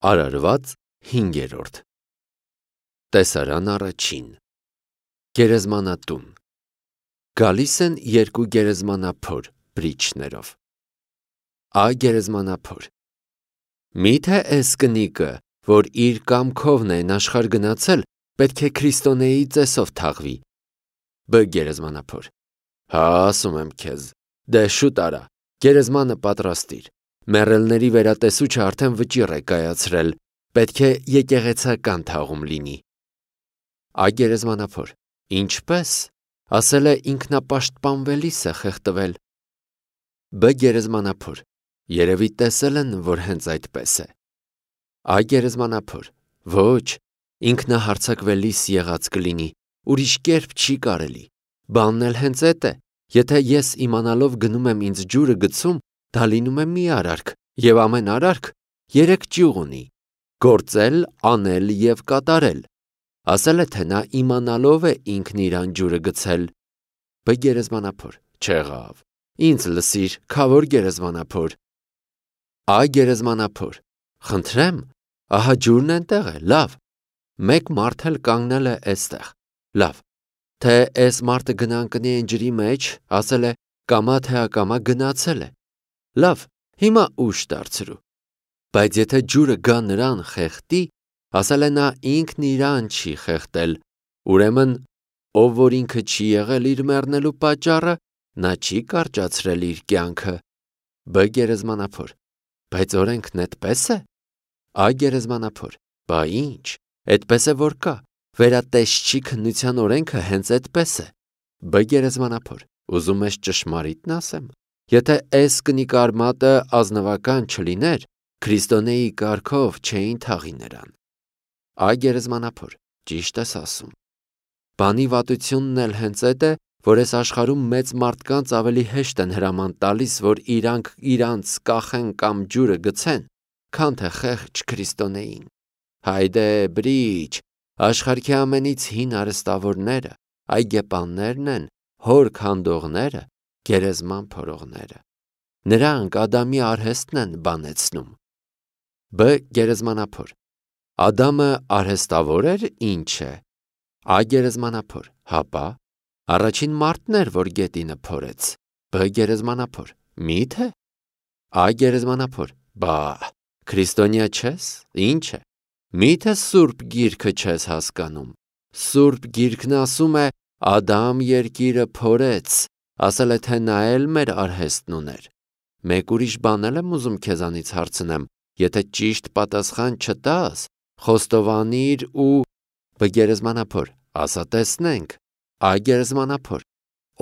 Արարված 5-րդ Տեսարան առաջին Գերեզմանատուն Գալիս են երկու գերեզմանափոր բրիչներով։ Ա գերեզմանափոր Միթե էս կնիկը, որ իր կամքովն են աշխարհ գնացել, պետք է քրիստոնեի ծեսով թաղվի։ Բ գերեզմանափոր Հա ասում եմ քեզ, դե շուտ արա, գերեզմանը պատրաստիր, մեռելների վերատեսուչը արդեն վճիռ է կայացրել, պետք է եկեղեցական թաղում լինի։ Ա գերեզմանափոր Ինչպես, ասել է ինքնապաշտպանվելիս է խեղդվել։ Բ գերեզմանափոր Երևի տեսել են, որ հենց այդպես է։ Ա գերեզմանափոր Ոչ, ինքնահարձակվելիս եղած կլինի, ուրիշ կերպ չի կարելի, բանն էլ հենց էդ է, եթե ես իմանալով գնում եմ ինձ ջուրը գցում, դա լինում է մի արարք, և ամեն արարք 3 ճյուղ ունի, գործել, անել և կատարել, ասել է, թե նա իմանալով է ինքն իրան ջուրը գցել։ Բ գերեզմանափոր Չեղավ, ինձ լսիր, քավոր գերեզմանափոր։ Ա գերեզմանափոր Խնդրեմ, ահա ջուրն էնտեղ է, լավ, մեկ մարդ էլ կանգնել է էստեղ, լավ, թե էս մարդը գնանքնի են ջրի մեջ, ասել է կամա թե ակամա գնացել է, լավ, հիմա ուշ դարձրու, բայց եթե ջուրը գա նրան խեղդի, ասել է նա ինքն իրան չի խեղդել, ուրեմն ով որ ինքը չի եղել իր մեռնելու պատճառը, նա չի կարճացրել իր կյանքը։ Բ գերեզմանափոր Բայց օրենքն էդպես է։ Ա գերեզմանափոր Բա ինչ, էդպես է որ կա, վերատեսչի քննության օրենքը հենց էդպես է։ Բ գերեզմանափոր Ուզում ես ճշմարիտն ասեմ, եթե էս կնիկարմատը ազնվական չլիներ, քրիստոնեի կարգով չէին թաղի նրան։ Ա գերեզմանափոր Ճիշտ ես ասում։ Բանի վատությունն էլ հենց էդ է, որ այս աշխարհում մեծ մարդկանց ավելի հեշտ են հրաման տալիս, որ իրանք իրանց կախեն կամ ջուրը գցեն, քան թե խեղճ քրիստոնեին։ Հայդե բրիչ, աշխարհի ամենից հին արհեստավորները, այգեպաններն են, հոր քանդողները, գերեզման փորողները։ Նրանք Ադամի արհեստն են բանեցնում։ Բ գերեզմանափոր Ադամը արհեստավոր էր, ինչ է։ Ա գերեզմանափոր Հապա, առաջին մարդն էր, որ գետինը փորեց։ Բ գերեզմանափոր Միթե։ Ա գերեզմանափոր Բա, քրիստոնյա չես, ինչ է։ Միթե Սուրբ Գիրքը չես հասկանում։ Սուրբ Գիրքն ասում է Ադամ երկիրը փորեց, ասել է, թե նա էլ մեր արհեստն ուներ։ Մեկ ուրիշ բան էլ եմ ուզում քեզանից հարցնեմ, եթե ճիշտ պատասխան չտաս, խոստովանիր ու Բ գերեզմանափոր Ասա տեսնենք։ Ա գերեզմանափոր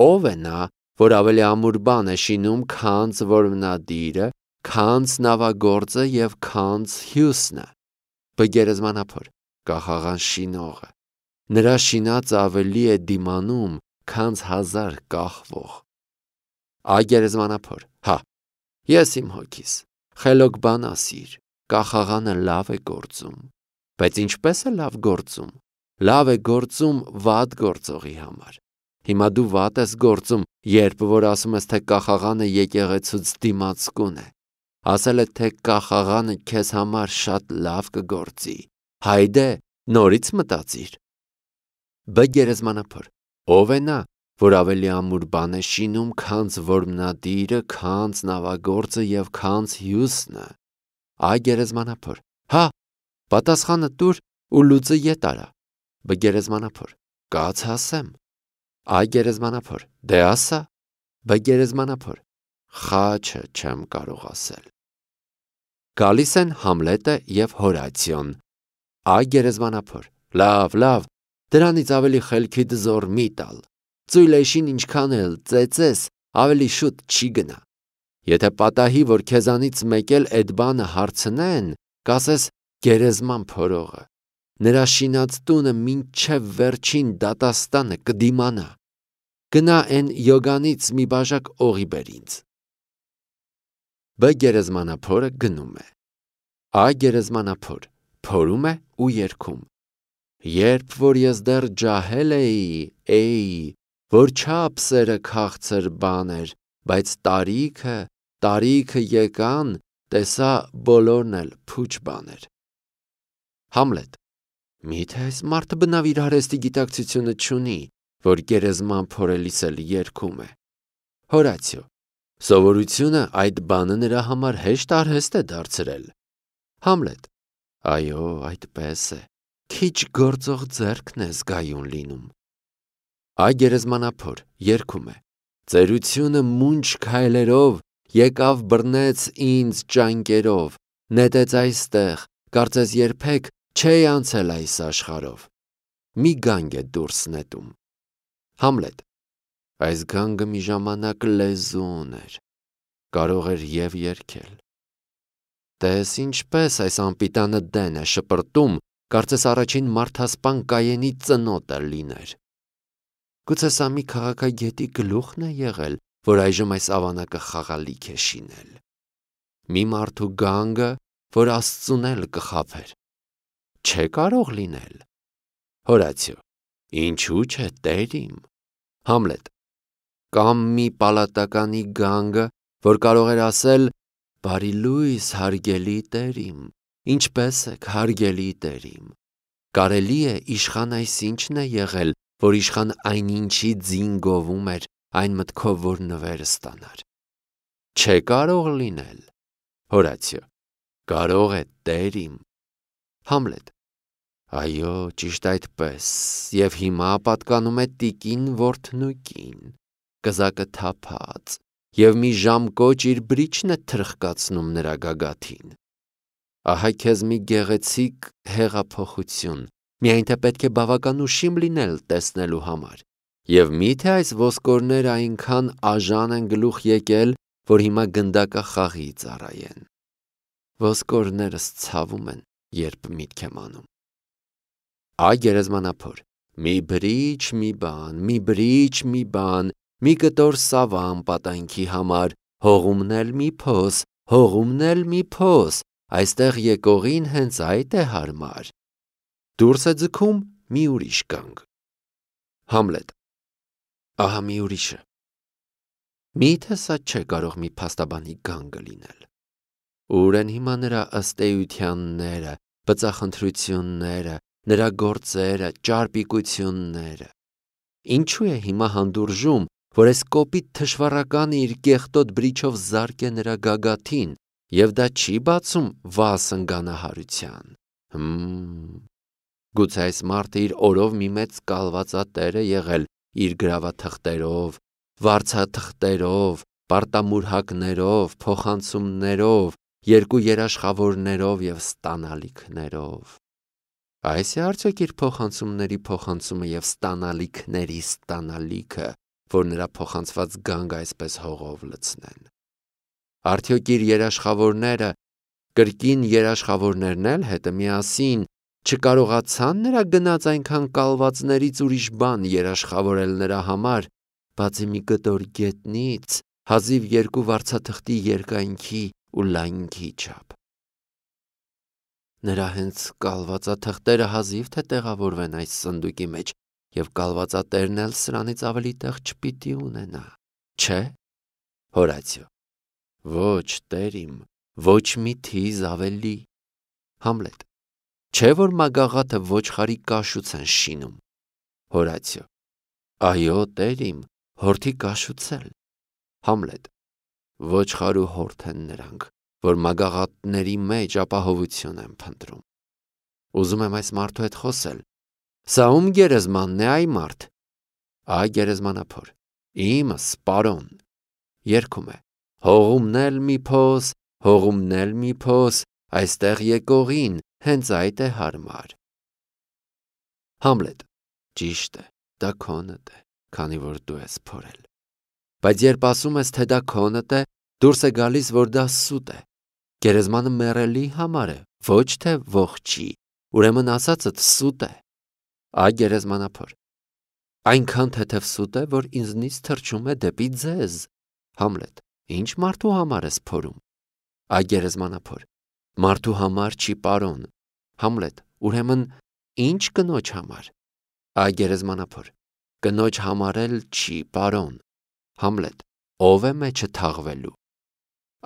Ո՞վ է նա, որ ավելի ամուր բան է շինում, քանց որմնադիրը, քանց նավագործը և քանց հյուսնը։ Բ գերեզմանափոր Կախաղան շինողը։ Նրա շինածը ավելի է դիմանում, քանց 1000 կախվող։ Ա գերեզմանափոր Հա, ես իմ հոգիս, խելոք բան ասիր, կախաղանը լավ է գործում, բայց ինչպես է լավ գործում։ Լավ է գործում վատ գործողի համար։ Հիմա դու վատ ես գործում, երբ որ ասում ես, թե կախաղանը եկեղեցուց դիմացկուն է։ Ասել է, թե կախաղանը քեզ համար շատ լավ կգործի։ Հայդե, նորից մտածիր։ Բ գերեզմանափոր Ո՞վ է նա, որ ավելի ամուր բան է շինում, քանց որմնադիրը, քանց նավագործը և քանց հյուսնը։ Ա գերեզմանափոր Հա, պատասխանը տուր ու լուծը ետ արա։ Բ գերեզմանափոր Կաց ասեմ։ Ա գերեզմանափոր Դե ասա։ Բ գերեզմանափոր Խաչը չեմ կարող ասել։ Գալիս են Համլետը և Հորացիոն։ Ա գերեզմանափոր Լավ, լավ, դրանից ավելի խելքիդ զոռ մի տալ։ Ծույլ էշին ինչքան էլ ծեծես, ավելի շուտ չի գնա։ Եթե պատահի, որ քեզանից մեկ էլ էդ բանը հարցնեն, կասես գերեզման փորողը։ Նրա շինած տունը մինչև վերջին դատաստանը կդիմանա։ Գնա են յոգանից մի բաժակ օղի բեր ինձ։ Բ գերեզմանափորը գնում է։ Ա գերեզմանափոր փորում է ու երգում։ Երբ որ ես դեռ ջահել էի, որ չափ սերը քաղցր բան էր, բայց տարիքը եկան, տեսա բոլորն էլ փուչ բաներ։ Համլետ. Միթե այս մարդը բնավ իր հարեստի գիտակցությունը չունի, որ գերեզման փորը լիսել երգում է։ Հորացիո. Սովորությունը այդ բանը նրա համար հեշտ արհեստ է դարձրել։ Համլետ. Այո, այդպես է, քիչ գործող ձեռքն է զգայուն լինում։ Այ գերեզմանափոր երգում է. Ծերությունը մունջ քայլերով եկավ բռնեց ինձ ճանկերով, նետեց այստեղ, կարծես երբեք չէի անցել այս աշխարհով։ Մի գանգ է դուրս նետում։ Համլետ. Այս գանգը մի ժամանակ լեզու ուներ, կարող էր և երգել։ Տես ինչպես այս անպիտանը դեն է շպրտում, կարծես առաջին մարդասպան Կայենի ծնոտը լիներ։ Գուցե սա մի քաղաքագետի գլուխն է եղել, որ այժմ այս ավանակը խաղալիք է շինել։ Մի մարդու գանգը, որ Աստծուն էլ կխաբեր։ Չէ կարող լինել։ Հորացիո. Ինչու՞ չէ, Տեր իմ։ Համլետ. Կամ մի պալատականի գանգը, որ կարող էր ասել. Բարի լույս, հարգելի Տեր իմ, ինչպե՞ս եք, հարգելի Տեր իմ։ Կարելի է իշխան այսինչն է եղել, որ իշխան այնինչի ձին գովում էր, այն մտքով, որ նվեր ստանար։ Չէ կարող լինել։ Հորացիո. Կարող է, Տեր իմ։ Համլետ. Այո, ճիշտ այդպես, և հիմա պատկանում է տիկին որդնուկին, կզակը թափած, և մի ժամկոչ իր բրիչն է թրխկացնում նրա գագաթին։ Ահա քեզ մի գեղեցիկ հեղափոխություն, միայն թե պետք է բավական ուշիմ լինել տեսնելու համար, և միթե այս ոսկորները այնքան աժան են գլուխ եկել, որ հիմա գնդակախաղի ծառայեն։ Ոսկորներս ցավում են, երբ միտք եմ անում։ Այ գերեզմանափոր, մի բրիչ, մի բան, մի բրիչ, մի բան, մի կտոր սավան պատանքի համար, հողումն էլ մի փոս, հողումն էլ մի փոս, այստեղ եկողին հենց այդ է հարմար։ Դուրս է ձգում մի ուրիշ գանգ։ Համլետ. Ահա մի ուրիշը։ Միթե սա չէ կարող մի փաստաբանի գանգը լինել։ Ուր են հիմա նրա ըստ էությանները, բծախնդրությունները, նրա գործերը, ճարպիկությունները։ Ինչու է հիմա հանդուրժում, որ այս կոպիտ թշվառականը իր կեղտոտ բրիչով զարկե նրա գագաթին, և դա չի բացում վասն գանահարության։ Գուցե այս մարդը իր օրով մի մեծ կալվածատեր է եղել իր գրավաթղթերով, վարձաթղթերով, պարտամուրհակներով, փոխանցումներով, երկու երաշխավորներով և ստանալիքներով։ Այս է արդյոք իր փոխանցումների փոխանցումը և ստանալիքների ստանալիքը, որ նրա փոխանցված գանգը այսպես հողով լցնեն։ Արդյոք իր երաշխավորները, կրկին երաշխավորներն էլ հետը միասին չկարողացան նրա գնած այնքան կալվածներից ուրիշ բան երաշխավորել նրա համար, բացի մի կտոր գետնից, հազիվ երկու վարձաթղթի երկայնքի ու լայնքի չափ։ Նրա հենց կալվածաթղթերը հազիվ թե տեղավորվեն այս սնդուկի մեջ, և կալվածատերն էլ սրանից ավելի տեղ չպիտի ունենա, չէ՞։ Հորացիո. Ոչ, Տեր իմ, ոչ մի թիզ ավելի։ Համլետ. Չէ՞ որ մագաղաթը ոչխարի կաշուց են շինում։ Հորացիո. Այո, Տեր իմ, հորթի կաշուց էլ։ Համլետ. Ոչխարու հորթ են նրանք, որ մագաղատների մեջ ապահովություն են փնտրում։ Ուզում եմ այս մարդու հետ խոսել։ Սա ում գերեզմանն է, այ մարդ։ Այ գերեզմանափոր, իմս, պարոն։ Երգում է. Հողումն էլ մի փոս, հողումն էլ մի փոս, այստեղ եկողին հենց այդ է հարմար։ Համլետ. Ճիշտ է, դա քոնդ է, քանի որ դու ես փորել։ Բայց երբ ասում ես, թե դա քոնդ է, դուրս է գալիս, որ դա սուտ է։ Գերեզմանը մեռելի համար է, ոչ թե ողջի, ուրեմն ասածդ սուտ է։ Այ գերեզմանափոր. Այնքան թեթև սուտ է, որ ինձնից թռչում է դեպի ձեզ։ Համլետ. Ինչ մարդու համար ես փորում։ Այ գերեզմանափոր. Մարդու համար չի, պարոն։ Համլետ. Ուրեմն ինչ կնոջ համար։ Այ գերեզմանափոր. Կնոջ համար էլ չի, պարոն։ Համլետ. Ով է մեջը թաղվելու։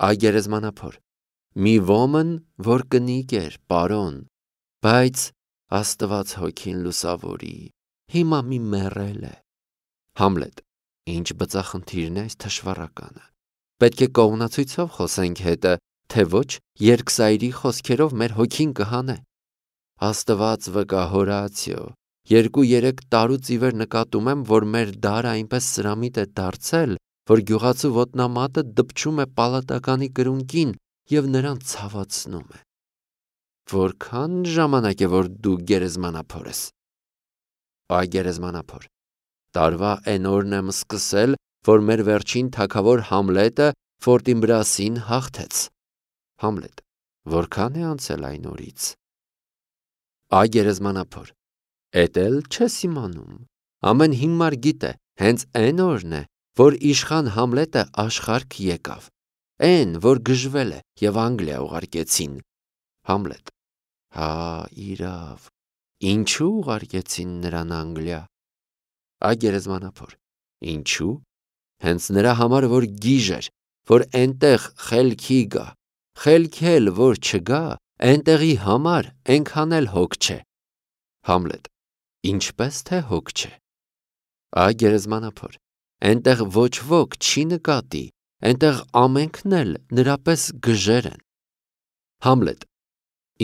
Այ գերեզմանափոր. Մի ոմն, որ կնիկ էր, պարոն։ Բայց Աստված հոգին լուսավորի, հիմա մի մեռել է։ Համլետ. Ինչ բծախնդիրն է այս թշվառականը։ Պետք է կողմնացույցով խոսենք հետը, թե ոչ երկսայրի խոսքերով մեր հոգին կհանե։ Աստված վկա Հորացիո, 2-3 տարուց ի վեր նկատում եմ, որ մեր դարը այնպես սրամիտ է դարձել, որ գյուղացու ոտնամատը դպչում է պալատականի կրունկին և նրան ցավացնում է։ Որքան ժամանակ է, որ դու գերեզմանափոր ես։ Այ գերեզմանափոր, տարվա էն օրն եմ սկսել, որ մեր վերջին թագավոր Համլետը Ֆորտինբրասին հաղթեց։ Համլետ. Որքան է անցել այն օրից։ Այ գերեզմանափոր, էդ էլ չես իմանում։ Ամեն հիմար գիտե, հենց էն օրն է, որ իշխան Համլետը աշխարհք եկավ, էն, որ գժվել է և Անգլիա ուղարկեցին։ Համլետ. Հա, իրավ, ինչու ուղարկեցին նրան Անգլիա։ Այ գերեզմանափոր, ինչու։ Հենց նրա համար, որ գիժ էր, որ էնտեղ խելքի գա, խելք էլ որ չգա, էնտեղի համար էնքան էլ հոգ չէ։ Համլետ. Ինչպես թե հոգ չէ։ Այ գերեզմանափոր, էնտեղ ոչ ոք չի նկատի, էնտեղ ամենքն էլ նրա պես գժեր են։ Համլետ.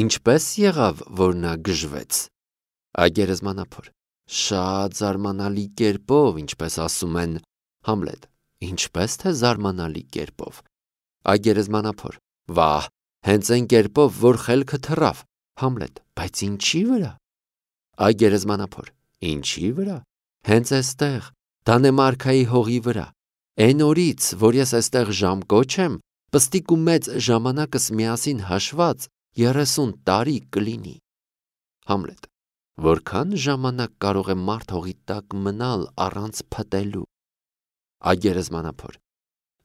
Ինչպես եղավ, որ նա գժվեց։ Այ գերեզմանափոր, շատ զարմանալի կերպով, ինչպես ասում են։ Համլետ. Ինչպես թե զարմանալի կերպով։ Այ գերեզմանափոր, վահ, հենց այն կերպով, որ խելքը թռավ։ Համլետ. բայց ինչի վրա։ Այ գերեզմանափոր, ինչի վրա։ Հենց էստեղ, Դանեմարքայի հողի վրա։ Էն օրից, որ ես էստեղ ժամկոչ եմ, պստիկ ու մեծ ժամանակս միասին հաշված 30 տարի կլինի։ Համլետ. Որքան ժամանակ կարող է մարդ հողի տակ մնալ առանց փտելու։ Այ գերեզմանափոր,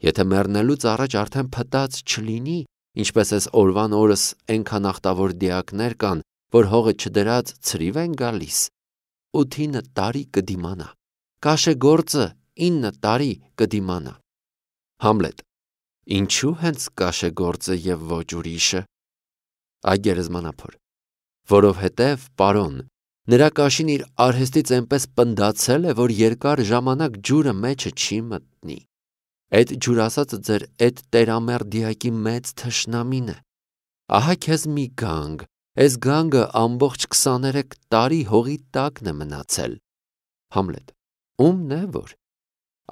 եթե մեռնելուց առաջ արդեն փտած չլինի, ինչպես էս օրվան օրս այնքան ախտավոր դիակներ կան, որ հողը չդրած ցրիվ են գալիս, 8 տարի կդիմանա, կաշեգործը 9 տարի կդիմանա։ Համլետ. Ինչու հենց կաշեգործը և ոչ ուրիշը։ Այ գերեզմանափոր, որովհետև, պարոն, նրա կաշին իր արհեստից այնպես պնդացել է, որ երկար ժամանակ ջուրը մեջը չի մտնի։ Էդ ջուր ասածը ձեր էդ տերամեռ դիակի մեծ թշնամին է։ Ահա քեզ մի գանգ, էս գանգը ամբողջ 23 տարի հողի տակն է մնացել։ Համլետ. Ումն է որ։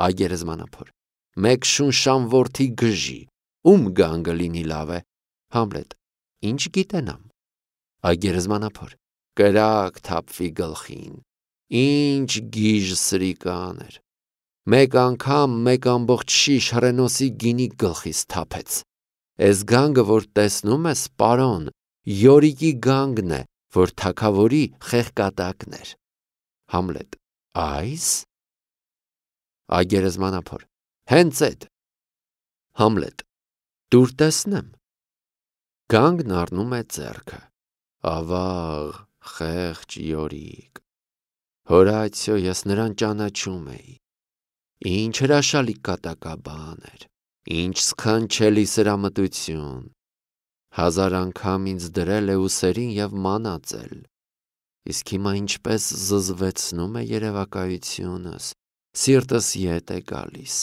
Այ գերեզմանափոր, մեկ շունշան որդի գժի, ում գանգը լինի լավ է։ Համլետ. Ինչ գիտենամ։ Այ գերեզմանափոր, կրակ թափվի գլխին, ինչ գիժ սրիկան էր։ Մեկ անգամ մեկ ամբողջ շիշ հռենոսի գինի գլխիս թափեց։ Էս գանգը, որ տեսնում ես, պարոն, Յորիկի գանգն է, որ թագավորի խեղկատակն էր։ Համլետ. Այս։ Այ գերեզմանափոր, հենց էդ։ Համլետ. Դուր տեսնեմ։ Գանգն առնում է ձեռքը։ Ավաղ, խեղճ Յորիկ։ Հորացիո, ես նրան ճանաչում էի։ Ինչ հրաշալի կատակաբան էր, ինչ սքանչելի սրամտություն, 1000 անգամ ինձ դրել է ուսերին և մանածել, իսկ հիմա ինչպես զզվեցնում է երևակայությունս, սիրտս ետ է գալիս։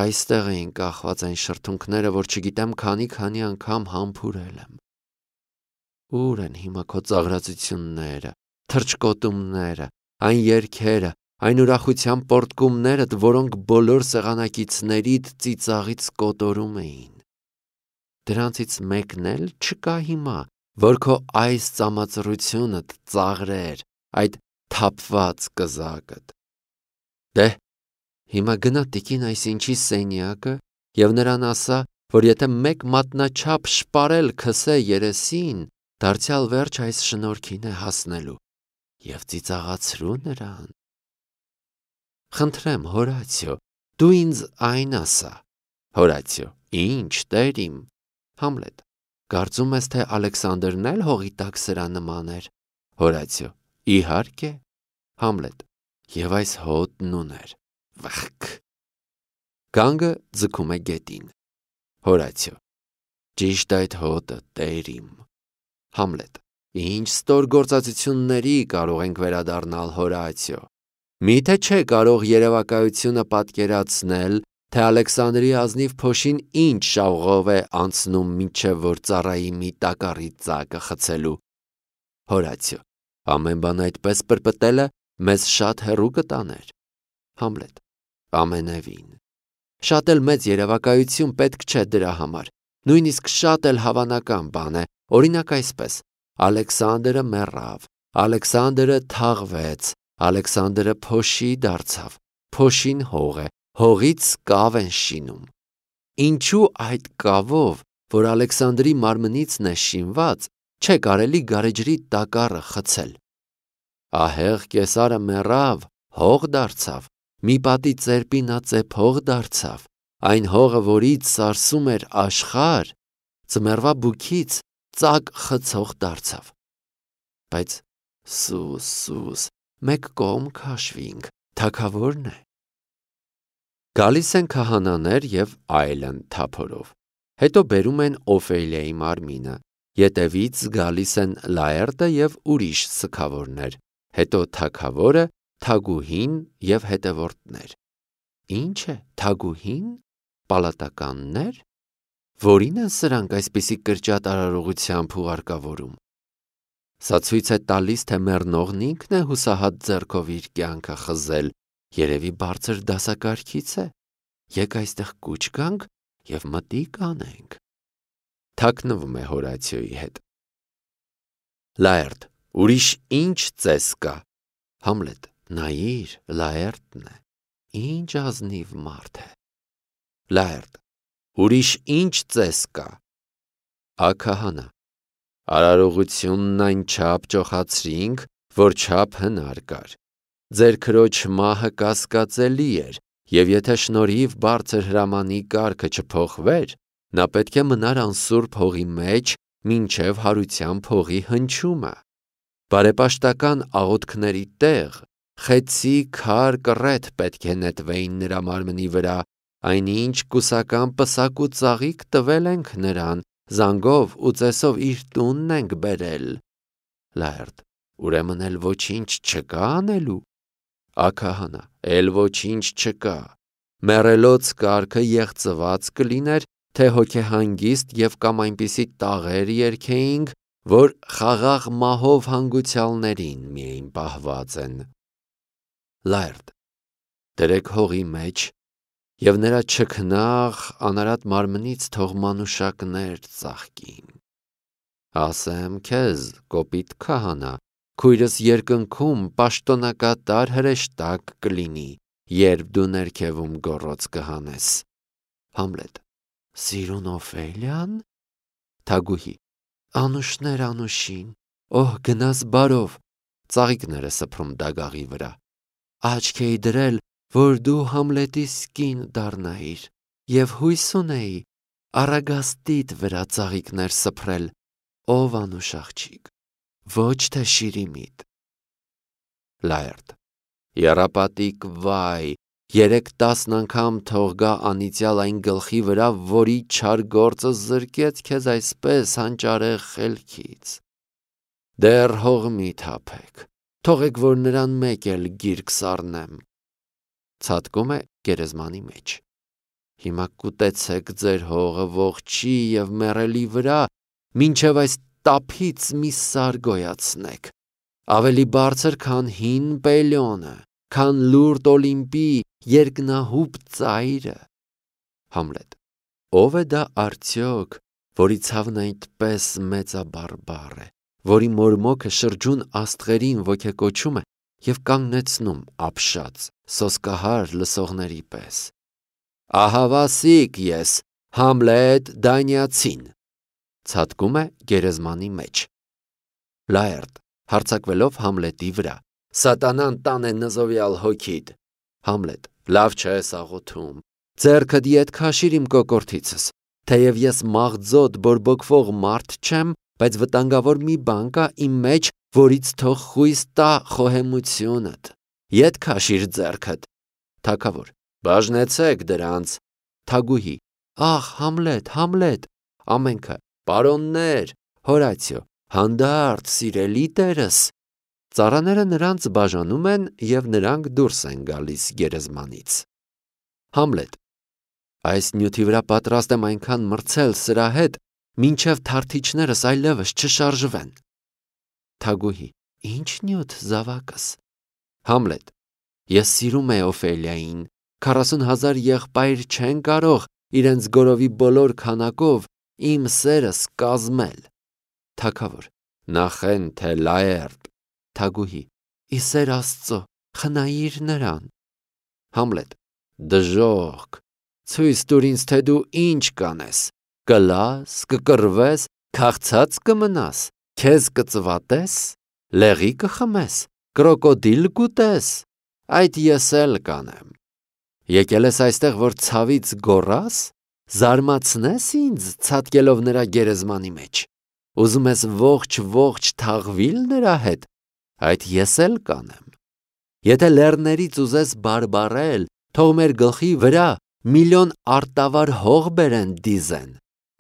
Այստեղ էին կախված այն շրթունքները, որ չգիտեմ քանի անգամ համբուրել եմ։ Ուր են հիմա քո ծաղրածությունները, թռչկոտումները, այն երգերը, այն ուրախության պոռթկումներդ, որոնք բոլոր սեղանակիցներիդ ծիծաղից կոտորում էին։ Դրանցից մեկն էլ չկա հիմա, որ քո այս ծամածռությունդ ծաղրեր, այդ թափված կզակդ։ Դե, հիմա գնա տիկին այսինչի սենյակը և նրան ասա, որ եթե մեկ մատնաչափ շպարել քսե երեսին, դարձյալ վերջ այս շնորհքին է հասնելու և ծիծաղացրու նրան։ Խնդրեմ, Հորացիո, դու ինձ այն ասա։ Հորացիո. Ինչ, տեր իմ։ Համլետ. Կարծում ես, թե Ալեքսանդրն էլ հողի տակ սրա նման էր։ Հորացիո. Իհարկե։ Համլետ. Եվ այս հոտն ուներ։ Վախք։ Գանգը ձգում է գետին։ Հորացիո. Ճիշտ այդ հոտը, տեր իմ։ Համլետ. Ինչ ստորգործածությունների կարող ենք վերադառնալ, Հորացիո։ Միթե չէ կարող երևակայությունը պատկերացնել, թե Ալեքսանդրի ազնիվ փոշին ինչ շավղով է անցնում մինչև որ ծառայի մի տակառի ծակը խցելու։ Հորացիո, ամեն բան այդպես պրպտելը մեզ շատ հեռու կտաներ։ Համլետ, ամենևին։ Շատ էլ մեծ երևակայություն պետք չէ դրա համար, նույնիսկ շատ էլ հավանական բան է, օրինակ այսպես. Ալեքսանդրը մեռավ, Ալեքսանդրը թաղվեց, Ալեքսանդրը փոշի դարձավ, փոշին հող է, հողից կավ են շինում։ Ինչու այդ կավով, որ Ալեքսանդրի մարմնիցն է շինված, չէ կարելի գարեջրի տակառը խցել։ Ահեղ Կեսարը մեռավ, հող դարձավ, մի պատի ծերպի նա ծեփող դարձավ, այն հողը, որից սարսում էր աշխարհ, ծմերվա բուքից ծակ խցող դարձավ։ Բայց սուս, մեկ կողմ քաշվինք, թագավորն է։ Գալիս են քահանաներ և այլն թափորով, հետո բերում են Օֆելիայի մարմինը, ետևից գալիս են Լաերտը և ուրիշ սգավորներ, հետո թագավորը, թագուհին և հետևորդներ։ Ինչ է թագուհին, պալատականներ, որին են սրանք այսպիսի կրճատ արարողությամբ հուղարկավորում։ Սա ցույց է տալիս, թե մեռնողն ինքն է հուսահատ ձեռքով իր կյանքը խզել, երևի բարձր դասակարգից է։ Եկ այստեղ կուչ գանք և մտիկ անենք։ Թաքնվում է Հորացիոյի հետ։ Լաերտ, ուրիշ ինչ ծես կա։ Համլետ, նայիր, Լաերտն է, ինչ ազնիվ մարդ է։ Լաերտ, ուրիշ ինչ ծես կա։ Աքահանա, արարողությունն այն չափ ճոխացրինք, որ չափ հնար կար։ Ձեր քրոջ մահը կասկածելի էր, և եթե շնորհիվ բարձր հրամանի կարգը չփոխվեր, նա պետք է մնար անսուրբ հողի մեջ մինչև հարության փողի հնչումը։ Բարեպաշտական աղոթքների տեղ խեցի քար կռեթ պետք է նետվեին նրա մարմնի վրա, այնինչ կուսական պսակ ու ծաղիկ տվել ենք նրան, զանգով ու ծեսով իր տունն ենք բերել։ Լաերտ, ուրեմն էլ ոչինչ չկա անելու։ Աքահանա, էլ ոչինչ չկա։ Մեռելոց կարգը եղծված կլիներ, թե հոգեհանգիստ և կամ այնպիսի տաղեր երգեինք, որ խաղաղ մահով հանգուցյալներին միայն պահված են։ Լաերտ, դրեք հողի մեջ և նրա չքնաղ անարատ մարմնից թող մանուշակներ ծաղկին։ Ասեմ քեզ, կոպիտ քահանա, քույրս երկնքում պաշտոնակատար հրեշտակ կլինի, երբ դու ներքևում գոռոց կհանես։ Համլետ, սիրուն Օֆելիա՞ն։ Թագուհի, անուշներ անուշին, օհ գնաս բարով, ծաղիկներ է սփռում դագաղի վրա։ Աչք էի դրել, որ դու Համլետիս կին դառնայիր, և հույս ունեի առագաստիդ վրա ծաղիկներ սփռել, ով անուշ աղջիկ, ոչ թե շիրիմիտ։ Լաերտ, եռապատիկ վայ, 3-10 անգամ թող գա անիծյալ այն գլխի վրա, որի չար գործը զրկեց քեզ այսպես հանճարեղ խելքից։ Դեռ հող մի թափեք, թողեք, որ նրան մեկ էլ գիրք սառնեմ։ Ցատկում է գերեզմանի մեջ։ Հիմա կուտեցեք ձեր հողը ողջի և մեռելի վրա, մինչև այս տափից մի սար գոյացնեք, ավելի բարձր, քան հին Պելիոնը, քան լուրջ Օլիմպի երկնահուպ ծայրը։ Համլետ, ով է դա արդյոք, որի ցավն այդպես մեծաբարբառ է, որի մորմոքը շրջուն աստղերին ոգեկոչում է և կանգնեցնում ապշած, սոսկահար լսողների պես։ Ահավասիկ ես, Համլետ Դանիացին։ Ցատկում է գերեզմանի մեջ։ Լաերտ, հարձակվելով Համլետի վրա, սատանան տանե նզովյալ հոգիդ։ Համլետ, լավ չես աղոթում, ձեռքդ ետ քաշիր իմ կոկորդիցս, թեև ես մաղձոտ բորբոքվող մարդ չեմ, բայց վտանգավոր մի բան կա իմ մեջ, որից թող խույս տա խոհեմությունդ։ Ետ քաշիր ձեռքդ։ Թագավոր, բաժնեցեք դրանց։ Թագուհի, ահ, Համլետ, ամենքը, պարոններ, Հորացիո, Հանդարտ, սիրելի տերս։ Ծառաները նրանց բաժանում են և նրանք դուրս են գալիս գերեզմանից։ Համլետ. Այս նյութի վրա պատրաստ եմ այնքան մրցել սրա հետ, մինչև թարթիչներս այլևս չշարժվեն։ Թագուհի. Ինչ նյութ, զավակս։ Համլետ. Ես սիրում եմ Օֆելիային, 40,000 եղբայր չեն կարող իրենց գորովի բոլոր քանակով իմ սերս կազմել։ Թագավոր. Նախեն թե Լաերտ։ Թագուհի. ի սեր Աստծո, խնայիր նրան։ Համլետ. Դժոխք, ցույց տուր ինձ, թե դու ինչ կանես, կլաս, կկռվես, քաղցած կմնաս, քեզ կծվատես, լեղի կխմես, կրոկոդիլ կուտես, այդ ես էլ կանեմ։ Եկել ես այստեղ, որ ցավից գոռաս, զարմացնես ինձ ցատկելով նրա գերեզմանի մեջ, ուզում ես ողջ թաղվիլ նրա հետ, այդ ես էլ կանեմ։ Եթե լեռներից ուզես բարբառել, թող մեր գլխի վրա միլիոն արտավար հող բերեն դիզեն,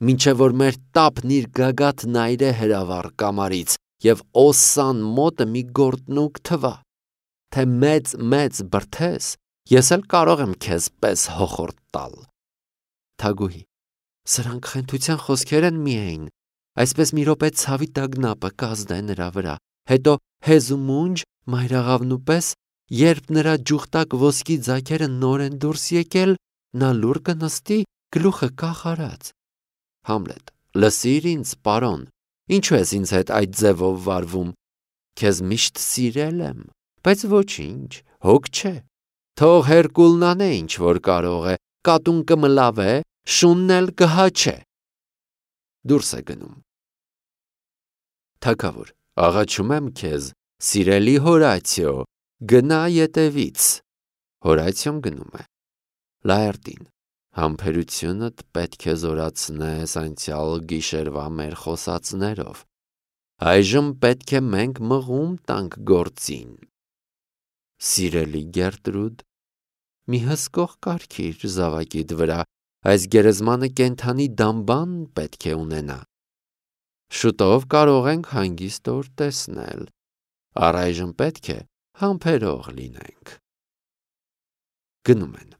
մինչև որ մեր տապն իր գագաթն այրե հրավառ կամարից և Օսան մոտը մի գործնուկ թվա, թե մեծ բրդես, ես էլ կարող եմ քեզ պես հոխորտ տալ։ Թագուհի. սրանք խենթության խոսքեր են միայն, այսպես մի րոպե ցավի տագնապը կազդե նրա վրա, հետո հեզումունջ մայրաղավնու պես, երբ նրա ջուխտակ ոսկի ձագերը նոր են դուրս եկել, նա լուռ կնստի գլուխը կախարած։ Համլետ. լսիր ինձ, պարոն, ինչու ես ինձ հետ այդ ձևով վարվում, քեզ միշտ սիրել եմ, բայց ոչինչ, հոգ չէ, թող Հերկուլն անե ինչ որ կարող է, կատուն կմլավե, շունն էլ կհաչե։ Դուրս է գնում։ Թագավոր. աղաչում եմ քեզ, սիրելի Հորացիո, գնա ետևից։ Հորացիոն գնում է։ Լաերտին. համբերությունդ պետք է զորացնես անցյալ գիշերվա մեր խոսածներով, այժմ պետք է մենք մղում տանք գործին։ Սիրելի Գերտրուդ, մի հսկող կարգիր զավակիդ վրա, այս գերեզմանը կենդանի դամբան պետք է ունենա։ Շուտով կարող ենք հանգիստ օր տեսնել, առայժմ պետք է համբերող լինենք։ Գնում են։